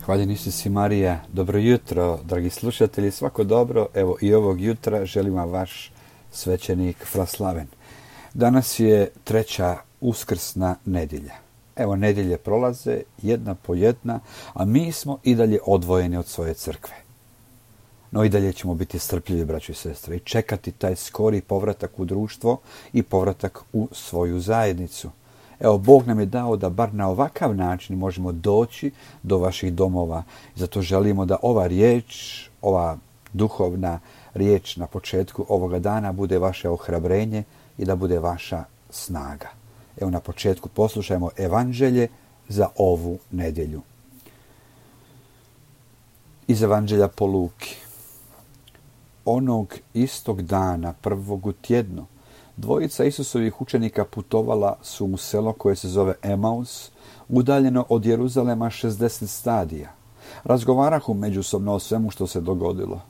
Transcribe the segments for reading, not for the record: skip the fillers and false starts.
Hvaljeni si Marija, dobro jutro, dragi slušatelji, svako dobro, evo i ovog jutra želim vam vaš svećenik Fraslaven. Danas je 3. uskrsna nedjelja. Evo, nedjelje prolaze jedna po jedna, a mi smo i dalje odvojeni od svoje crkve. No i dalje ćemo biti strpljivi, braćo i sestre, i čekati taj skori povratak u društvo i povratak u svoju zajednicu. Evo, Bog nam je dao da bar na ovakav način možemo doći do vaših domova. Zato želimo da ova riječ, ova duhovna riječ na početku ovoga dana bude vaše ohrabrenje i da bude vaša snaga. Evo, na početku poslušajmo evanđelje za ovu nedjelju. Iz evanđelja po Luki. Onog istog dana, prvog u tjednu, dvojica Isusovih učenika putovala su u selo koje se zove Emaus, udaljeno od Jeruzalema 60 stadija. Razgovarahu međusobno o svemu što se dogodilo.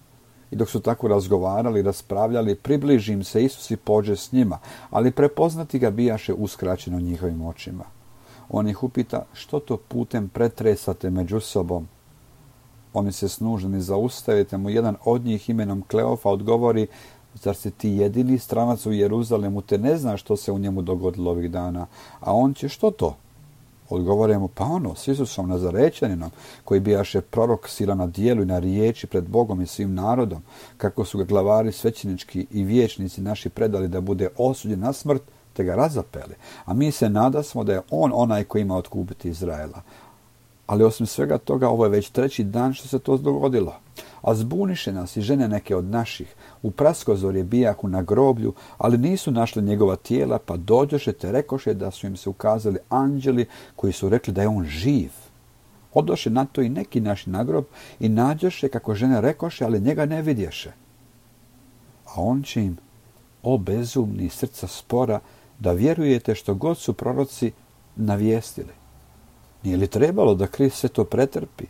I dok su tako razgovarali, raspravljali, približi im se Isus i pođe s njima, ali prepoznati ga bijaše uskraćeno njihovim očima. On ih upita, što to putem pretresate među sobom? Oni se snuženi zaustavite mu. Jedan od njih imenom Kleofa odgovori, zar si ti jedini stranac u Jeruzalemu, te ne znaš što se u njemu dogodilo ovih dana? A on će, što to? Odgovore mu, pa ono, s Isusom Nazarećaninom, koji bijaše prorok sila na dijelu i na riječi pred Bogom i svim narodom, kako su ga glavari svećenički i vijećnici naši predali da bude osuđen na smrt, te ga razapeli. A mi se nadasmo da je on onaj koji ima otkupiti Izraela. Ali osim svega toga, ovo je već 3. dan što se to dogodilo. A zbuniše nas i žene neke od naših. U praskozorje bijahu na groblju, ali nisu našli njegova tijela, pa dođoše te rekoše da su im se ukazali anđeli koji su rekli da je on živ. Odoše na to i neki naši na grob i nađoše kako žene rekoše, ali njega ne vidješe. A on će im, o bezumni srca spora, da vjerujete što god su proroci navijestili. Nije li trebalo da Krist sve to pretrpi,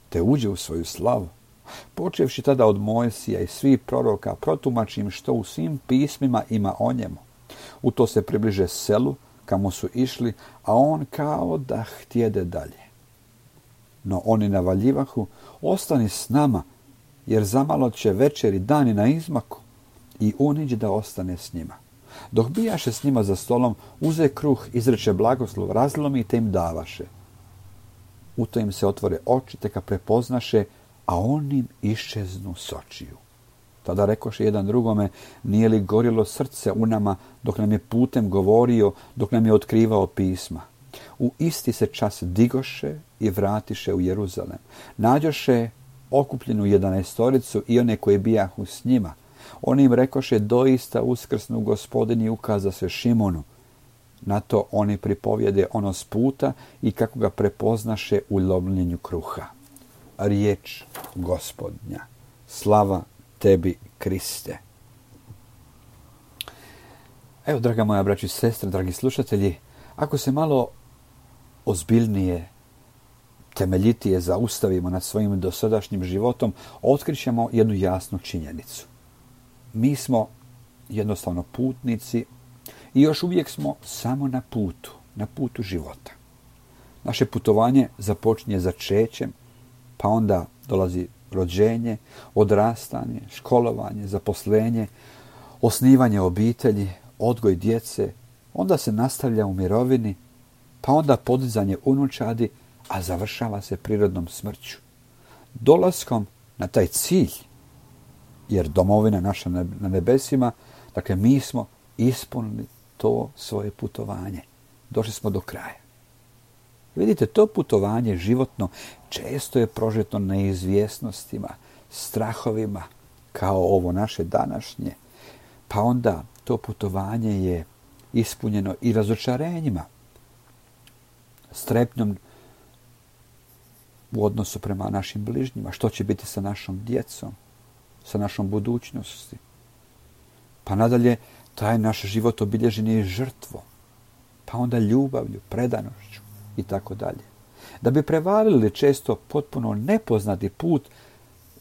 te uđe u svoju slavu? Počevši tada od Mojsija i svih proroka, protumači im što u svim pismima ima o njemu. U to se približe selu, kamo su išli, a on kao da htjede dalje. No oni navaljivahu, ostani s nama, jer zamalo će večer i dani na izmaku, i uniđi da ostane s njima. Dok bijaše s njima za stolom, uze kruh, izreče blagoslov, razlomi te im davaše. U to im se otvore oči, te ga prepoznaše, a on im iščeznu s očiju. Tada rekoše jedan drugome, nije li gorilo srce u nama dok nam je putem govorio, dok nam je otkrivao pisma? U isti se čas digoše i vratiše u Jeruzalem. Nađoše okupljenu 11 i one koji bijahu s njima. Oni im rekoše, doista uskrsnu Gospodin i ukaza se Šimonu. Na to oni pripovjede ono s puta i kako ga prepoznaše u lomljenju kruha. Riječ Gospodnja. Slava tebi, Kriste. Evo, draga moja braćo i sestre, dragi slušatelji, ako se malo ozbiljnije, temeljitije zaustavimo nad svojim dosadašnjim životom, otkrićemo jednu jasnu činjenicu. Mi smo jednostavno putnici i još uvijek smo samo na putu života. Naše putovanje započinje začećem, pa onda dolazi rođenje, odrastanje, školovanje, zaposlenje, osnivanje obitelji, odgoj djece, onda se nastavlja u mirovini, pa onda podizanje unučadi, a završava se prirodnom smrću. Dolaskom na taj cilj, jer domovina naša na nebesima, dakle mi smo ispunili to svoje putovanje. Došli smo do kraja. Vidite, to putovanje životno često je prožeto neizvjesnostima, strahovima, kao ovo naše današnje. Pa onda to putovanje je ispunjeno i razočarenjima, strepnjom u odnosu prema našim bližnjima. Što će biti sa našom djecom, sa našom budućnosti? Pa nadalje, taj naš život obilježen je žrtvom, pa onda ljubavlju, predanošću i tako dalje. Da bi prevalili često potpuno nepoznati put,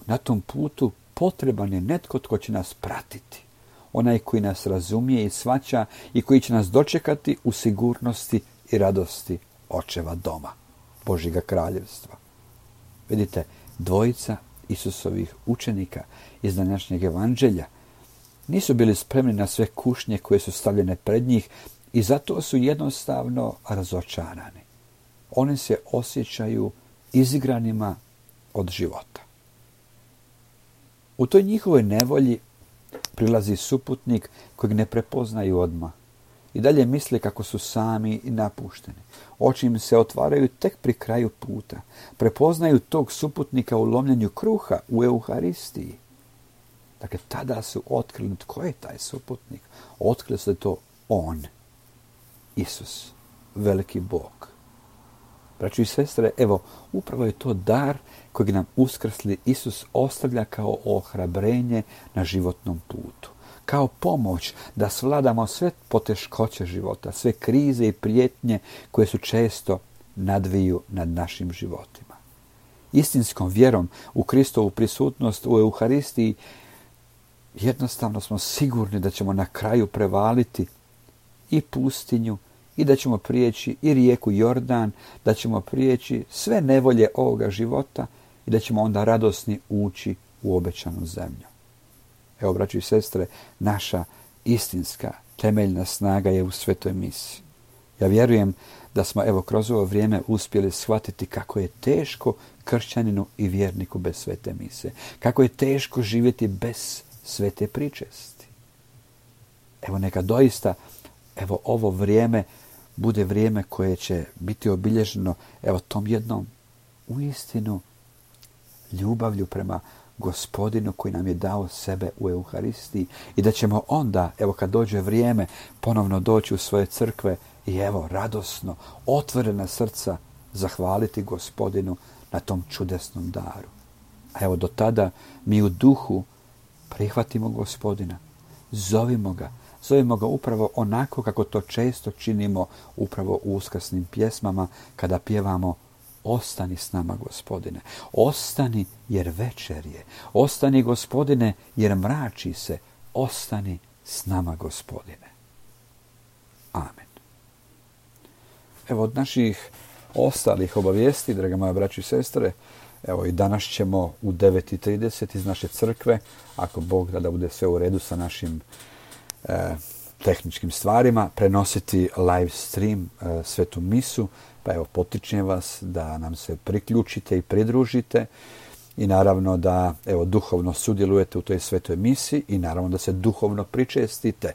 na tom putu potreban je netko tko će nas pratiti. Onaj koji nas razumije i shvaća i koji će nas dočekati u sigurnosti i radosti očeva doma, Božjega kraljevstva. Vidite, dvojica Isusovih učenika iz današnjeg evanđelja nisu bili spremni na sve kušnje koje su stavljene pred njih i zato su jednostavno razočarani. Oni se osjećaju izigranima od života. U toj njihovoj nevolji prilazi suputnik kojeg ne prepoznaju odmah. I dalje misle kako su sami i napušteni. Oči im se otvaraju tek pri kraju puta. Prepoznaju tog suputnika u lomljenju kruha, u Euharistiji. Dakle, tada su otkrili tko je taj suputnik. Otkrili su da je to on, Isus, veliki Bog. Braćo i sestre, evo, upravo je to dar kojeg nam uskrsli Isus ostavlja kao ohrabrenje na životnom putu. Kao pomoć da svladamo sve poteškoće života, sve krize i prijetnje koje su često nadviju nad našim životima. Istinskom vjerom u Kristovu prisutnost u Euharistiji jednostavno smo sigurni da ćemo na kraju prevaliti i pustinju i da ćemo prijeći i rijeku Jordan, da ćemo prijeći sve nevolje ovoga života i da ćemo onda radosni ući u obećanu zemlju. Evo, braćo i sestre, naša istinska temeljna snaga je u svetoj misi. Ja vjerujem da smo evo kroz ovo vrijeme uspjeli shvatiti kako je teško kršćaninu i vjerniku bez svete mise. Kako je teško živjeti bez svete pričesti. Evo neka doista evo ovo vrijeme bude vrijeme koje će biti obilježeno evo tom jednom uistinu ljubavlju prema Gospodinu koji nam je dao sebe u Euharistiji i da ćemo onda, evo kad dođe vrijeme, ponovno doći u svoje crkve i evo radosno, otvorena srca zahvaliti Gospodinu na tom čudesnom daru. A evo do tada mi u duhu prihvatimo Gospodina, zovimo ga upravo onako kako to često činimo upravo u uskrsnim pjesmama kada pjevamo ostani s nama, Gospodine. Ostani jer večer je. Ostani, Gospodine, jer mrači se. Ostani s nama, Gospodine. Amen. Evo od naših ostalih obavijesti, draga moja braćo i sestre, evo i danas ćemo u 9:30 iz naše crkve, ako Bog da bude sve u redu sa našim tehničkim stvarima, prenositi live stream svetu misu. Pa evo, potičem vas da nam se priključite i pridružite i naravno da evo duhovno sudjelujete u toj svetoj misi i naravno da se duhovno pričestite.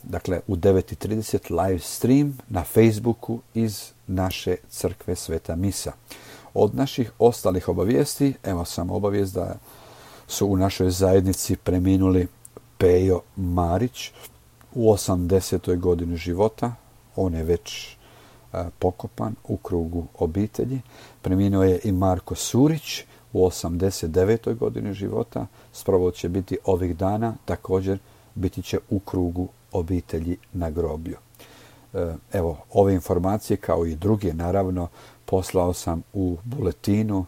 Dakle, u 9:30 live stream na Facebooku iz naše crkve Sveta Misa. Od naših ostalih obavijesti, evo samo obavijest da su u našoj zajednici preminuli Pejo Marić u 80. godini života. On je već pokopan u krugu obitelji. Preminuo je i Marko Surić u 89. godini života. Sprovod će biti ovih dana, također biti će u krugu obitelji na groblju. Evo, ove informacije kao i druge naravno poslao sam u buletinu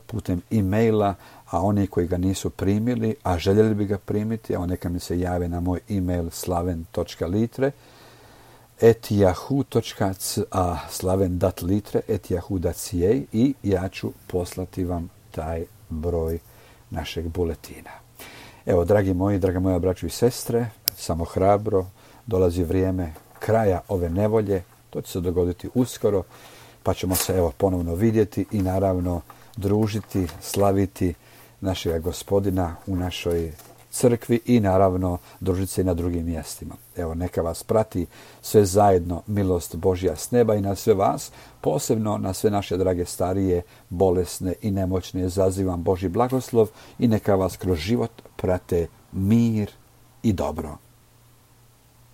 putem e-maila, a oni koji ga nisu primili, a željeli bi ga primiti, evo neka mi se jave na moj e-mail slaven.litre@yahoo.ca slaven.litre@yahoo.ca i ja ću poslati vam taj broj našeg buletina. Evo, dragi moji, draga moja braćo i sestre, samo hrabro dolazi vrijeme kraja ove nevolje, to će se dogoditi uskoro, pa ćemo se evo ponovno vidjeti i naravno družiti, slaviti našega Gospodina u našoj crkvi i naravno družiti se i na drugim mjestima. Evo, neka vas prati sve zajedno milost Božja s neba i na sve vas, posebno na sve naše drage starije, bolesne i nemoćne, zazivam Božji blagoslov i neka vas kroz život prate mir i dobro.